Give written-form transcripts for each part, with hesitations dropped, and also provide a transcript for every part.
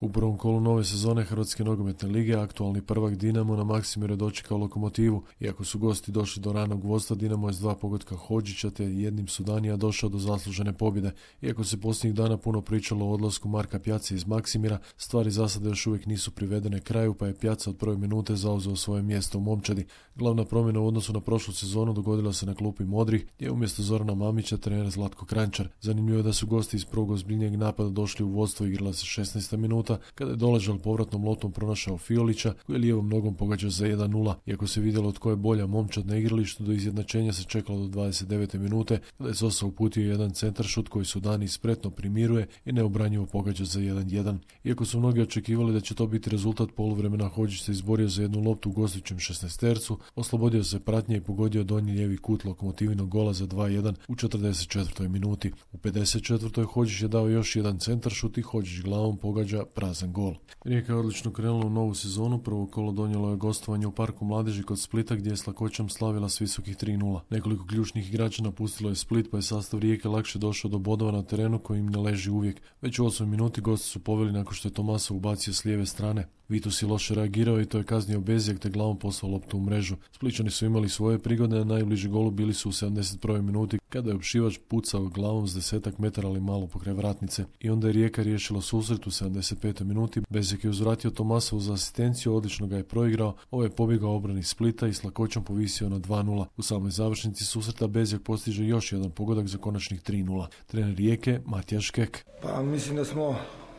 U prvom kolu nove sezone Hrvatske nogometne lige aktualni prvak Dinamo na Maksimiru je dočekao Lokomotivu. Iako su gosti došli do ranog vodstva, Dinamo je s 2 pogotka Hodžića te jednim Sudanija došao do zaslužene pobjede. Iako se posljednjih dana puno pričalo o odlasku Marka Pjace iz Maksimira, stvari za sada još uvijek nisu privedene kraju, pa je Pjaca od prve minute zauzeo svoje mjesto u momčadi. Glavna promjena u odnosu na prošlu sezonu dogodila se na klupi Modrih, gdje je umjesto Zorana Mamića trener Zlatko Kranjčar. Zanimljivo je da su gosti iz prvog ozbiljnijeg napada došli u vodstvo, igrala se 16. minuta, kada je Doležal povratnom lotom pronašao Fiolića, koji je lijevom nogom pogađao za 1-0. Iako se vidjelo tko je bolja momčad na igralištu, do izjednačenja se čekalo do 29. minute, kada je Sosa uputio jedan centaršut koji Sudani spretno primiruje i neobranjivo pogađa za 1-1. Iako su mnogi očekivali da će to biti rezultat poluvremena, Hodžić se izborio za jednu loptu u gostujućem 16tercu, oslobodio se pratnje i pogodio donji lijevi kut Lokomotivinog gola za 2-1 u 44. minuti. U 54. Hodžić je dao još jedan centaršut i Hodžić glavom pogađa prazan gol. Rijeka je odlično krenula u novu sezonu. Prvo kolo donijelo je gostovanje u Parku mladeži kod Splita, gdje je s lakoćom slavila s visokih 3-0. Nekoliko ključnih igrača napustilo je Split, pa je sastav Rijeke lakše došao do bodova na terenu koji im ne leži uvijek. Već u 8 minuti gosti su poveli nakon što je Tomasov ubacio s lijeve strane. Vitus je loše reagirao i to je kaznio Bezjak te glavom poslao loptu u mrežu. Spličani su imali svoje prigode, a najbliži golu bili su u 71. minuti kada je Opšivač pucao glavom s 10 metara ali malo pokraj vratnice. I onda je Rijeka riješila susret u 75. minuti. Bezjak je uzvratio Tomasovu za asistenciju, odlično ga je proigrao. Ovo je pobjegao obrani Splita i s lakoćom povisio na 2-0. U samoj završnici susreta Bezjak postiže još jedan pogodak za konačnih 3-0. Trener Rijeke Matija Škek. Pa mislim da smo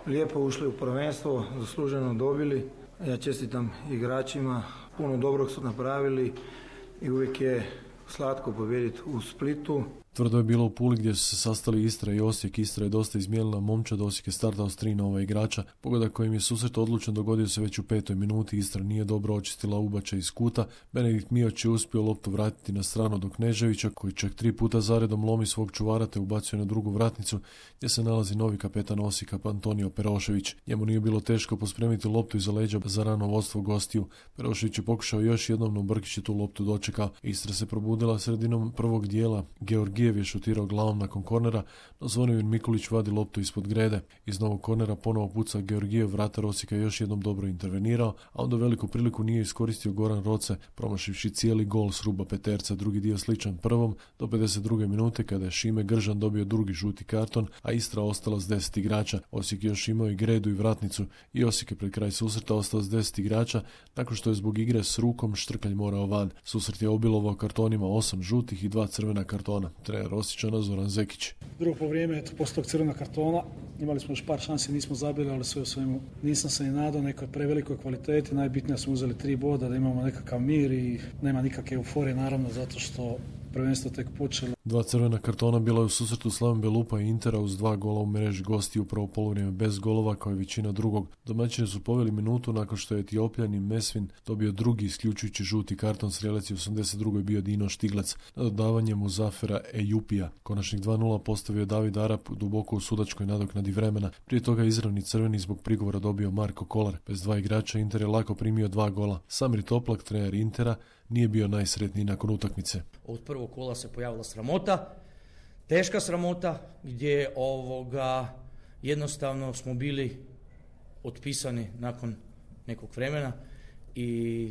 lijepo ušli u prvenstvo, zasluženo dobili. Ja čestitam igračima, puno dobrog su napravili i uvijek je slatko pobijediti u Splitu. Tvrdo je bilo u Puli gdje su se sastali Istra i Osijek. Istra je dosta izmijenila momčad, Osijek je startao s 3 nova igrača. Pogodak kojim je susret odlučen dogodio se već u 5. minuti. Istra nije dobro očistila ubačaj iz kuta. Benedikt Mioć je uspio loptu vratiti na stranu do Kneževića, koji čak 3 puta zaredom lomi svog čuvara te ubacuje na drugu vratnicu, gdje se nalazi novi kapetan Osijeka Antonio Perošević. Njemu nije bilo teško pospremiti loptu iza leđa za rano vodstvo gostiju. Perošević je pokušao još jednom, no Brkić je tu loptu dočekao. Istra se probudila sredinom prvog dijela. Georgijev je šutirao glavom nakon kornera, no Zvonimir Mikulić vadi loptu ispod grede. Iz novog kornera ponovo puca Georgijev, vratar Osijeka još jednom dobro intervenirao, a onda veliku priliku nije iskoristio Goran Roce, promašivši cijeli gol s ruba peterca. Drugi dio sličan prvom do 52. minute kada je Šime Gržan dobio drugi žuti karton, a Istra ostala s 10 igrača. Osijek još imao i gredu i vratnicu i Osijek je pred kraj susreta ostao s 10 igrača nakon što je zbog igre s rukom Štrkalj morao van. Susret je obilovao kartonima, 8 žutih i 2 crvena kartona. Trener Osječana Zoran Zekić. Drugo polovreme je poslije tog crvenog kartona. Imali smo još par šansi, nismo zabili, ali sve u svemu nisam se ni nadao nekoj prevelikoj kvaliteti. Najbitnije smo uzeli 3 boda, da imamo nekakav mir i nema nikakve euforije, naravno, zato što prvenstvo tek počelo. 2 crvena kartona bila je u susretu Slaven Belupa i Intera uz 2 gola u mreži gosti u prvo poluvrijeme bez golova kao i većina drugog. Domaćini su poveli minutu nakon što je Etiopljanin Mesvin dobio drugi isključujući žuti karton. Strelac je u 82. bio Dino Štiglac na dodavanje Muzafera Ejupija. Konačnih 2-0 postavio David Arap duboko u sudačkoj nadoknadi vremena. Prije toga izravni crveni zbog prigovora dobio Marko Kolar. Bez 2 igrača Inter je lako primio 2 gola. Samir Toplak, trener Intera, nije bio najsretniji nakon utakmice. Od prvog kola se pojavila sramota, teška sramota, gdje jednostavno smo bili otpisani nakon nekog vremena i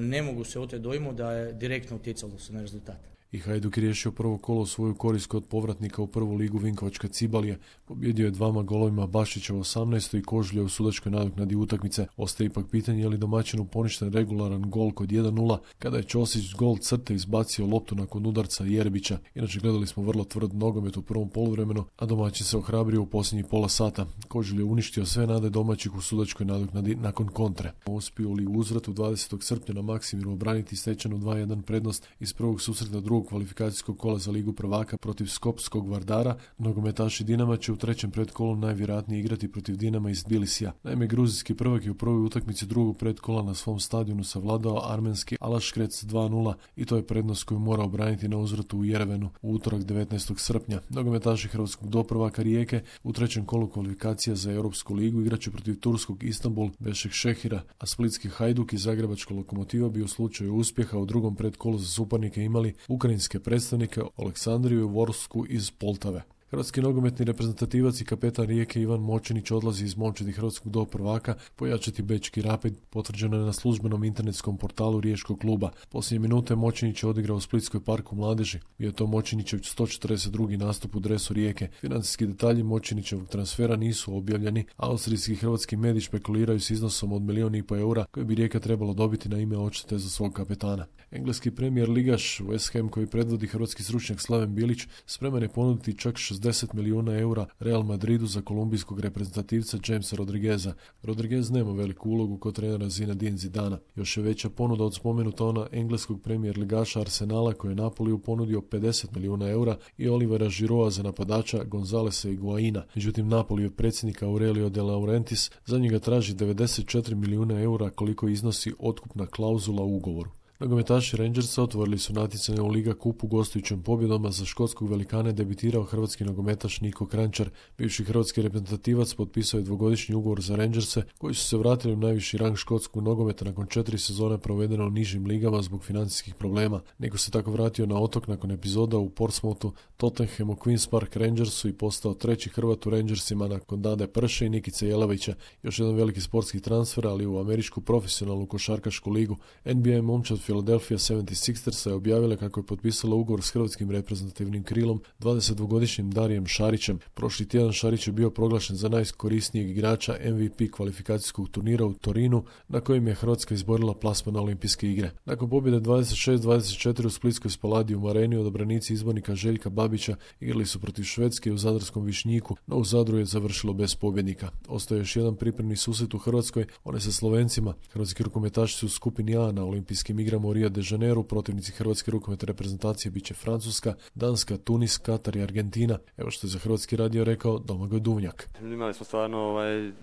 ne mogu se oteti dojmu da je direktno utjecalo se na rezultat. I Hajduk je riješio prvo kolo svoju korist kod povratnika u prvu ligu Vinkovačka Cibalija. Pobjedio je 2 golovima Bašića u 18. i Kožulja u sudačkoj nadoknadi utakmice. Ostaje ipak pitanje je li domaćinu poništen regularan gol kod 1-0 kada je Ćosić gol crte izbacio loptu nakon udarca Jerbića. Inače gledali smo vrlo tvrd nogomet u prvom poluvremenu, a domaćin se ohrabrio u posljednjih pola sata. Kožulj je uništio sve nade domaćih u sudačkoj nadoknadi nakon kontre. Uspio li u uzvratu 20. srpnja na Maksimiru obraniti stečenu 2-1 prednost iz prvog susreta drugog kvalifikacijskog kola za Ligu prvaka protiv Skopskog Vardara, nogometaši Dinama će u trećem predkolu najvjerojatnije igrati protiv Dinama iz Tbilisija. Naime, gruzijski prvak je u prvoj utakmici drugog predkola na svom stadionu savladao armenski Alaškrec 2-0 i to je prednost koju mora obraniti na uzvratu u Jerevenu u utorak 19. srpnja. Nogometaši hrvatskog doprvaka Rijeke u trećem kolu kvalifikacija za Europsku ligu igraće protiv turskog Istanbul Bešek Šehira, a splitski Hajduk i zagrebačka Lokomotiva bi u slučaju uspjeha u drugom predkolu za suparnike imali ukrajinske predstavnike Aleksandriju i Vorsku iz Poltave. Hrvatski nogometni reprezentativac i kapetan Rijeke Ivan Močinić odlazi iz momčadi hrvatskog do prvaka pojačati Bečki Rapid, potvrđeno je na službenom internetskom portalu riječkog kluba. Posljednje minute Močinić je odigrao u Splitskoj parku mladeži. Bio je to Močinićev 142. nastup u dresu Rijeke. Financijski detalji Močinićevog transfera nisu objavljeni. Austrijski hrvatski mediji špekuliraju s iznosom od 1,5 milijuna eura koje bi Rijeka trebalo dobiti na ime odštete za svog kapetana. Engleski premijer ligaš West Ham, koji predvodi hrvatski stručnjak Slaven Bilić, spreman je ponuditi čak 60 milijuna eura Real Madridu za kolumbijskog reprezentativca Jamesa Rodrigueza. Rodriguez nema veliku ulogu kod trenera Zinedine Zidana. Još je veća ponuda od spomenuta ona engleskog premijer ligaša Arsenala, koji je Napoliju ponudio 50 milijuna eura, i Olivera Giroua za napadača Gonzalesa Higuaina. Međutim, Napolijev predsjednik Aurelio De Laurentiis za njega traži 94 milijuna eura, koliko iznosi otkupna klauzula u ugovoru. Nogometaši Rangersa otvorili su natjecanje u Liga kupu gostujućim pobjedom, a za škotskog velikana je debitirao hrvatski nogometaš Niko Kranjčar. Bivši hrvatski reprezentativac potpisao je 2-godišnji ugovor za Rangerse, koji su se vratili u najviši rang škotskog nogometa nakon 4 sezone provedeno u nižim ligama zbog financijskih problema. Niko se tako vratio na otok nakon epizoda u Portsmouthu, Tottenhamu, Queen's Park Rangersu i postao treći Hrvat u Rangersima nakon Dade Prše i Nikice Jelavića. Još jedan veliki sportski transfer, ali u američku profesionalnu košarkašku ligu. NBA momčad Philadelphia 76ersa je objavila kako je potpisala ugovor s hrvatskim reprezentativnim krilom 22-godišnjim Darijem Šarićem. Prošli tjedan Šarić je bio proglašen za najkorisnijeg igrača MVP kvalifikacijskog turnira u Torinu, na kojem je Hrvatska izborila plasman na olimpijske igre. Nakon pobjede 26-24 u Splitskoj Spaladium areni, odabranici izbornika Željka Babića igrali su protiv Švedske u zadarskom Višnjiku, no u Zadru je završilo bez pobjednika. Ostaje još jedan pripremni susret u Hrvatskoj, one sa Slovencima. Hrvatski rukometaši su u skupini A na olimpijskim igrama u Rio de Janeiro. Protivnici hrvatske rukometne reprezentacije bit će Francuska, Danska, Tunis, Katar i Argentina. Evo što je za Hrvatski radio rekao Domagoj Duvnjak. Imali smo stvarno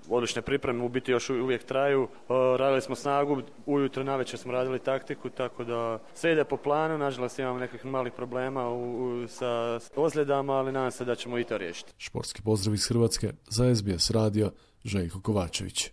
odlične pripreme, u biti još uvijek traju. Radili smo snagu, ujutro navečer smo radili taktiku, tako da sve ide po planu. Nažalost imamo nekih malih problema sa ozljedama, ali nadam se da ćemo i to riješiti. Športski pozdrav iz Hrvatske za SBS radio, Željko Kovačević.